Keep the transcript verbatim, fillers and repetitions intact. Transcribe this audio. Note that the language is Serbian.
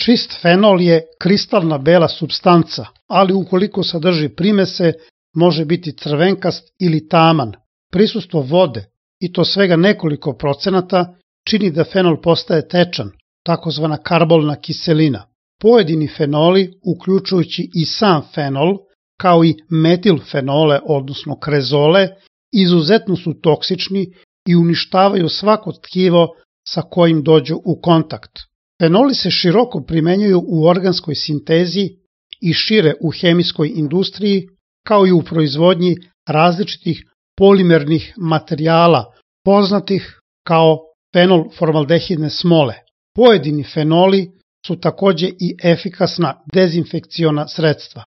Čist fenol je kristalna bela supstanca, ali ukoliko sadrži primese, može biti crvenkast ili taman. Prisustvo vode, i to svega nekoliko procenata, čini da fenol postaje tečan, takozvana karbolna kiselina. Pojedini fenoli, uključujući i sam fenol, kao i metilfenole, odnosno krezole, izuzetno su toksični i uništavaju svako tkivo sa kojim dođu u kontakt. Fenoli se široko primenjuju u organskoj sintezi i šire u hemijskoj industriji, kao i u proizvodnji različitih polimernih materijala, poznatih kao fenolformaldehidne smole. Pojedini fenoli su takođe i efikasna dezinfekciona sredstva.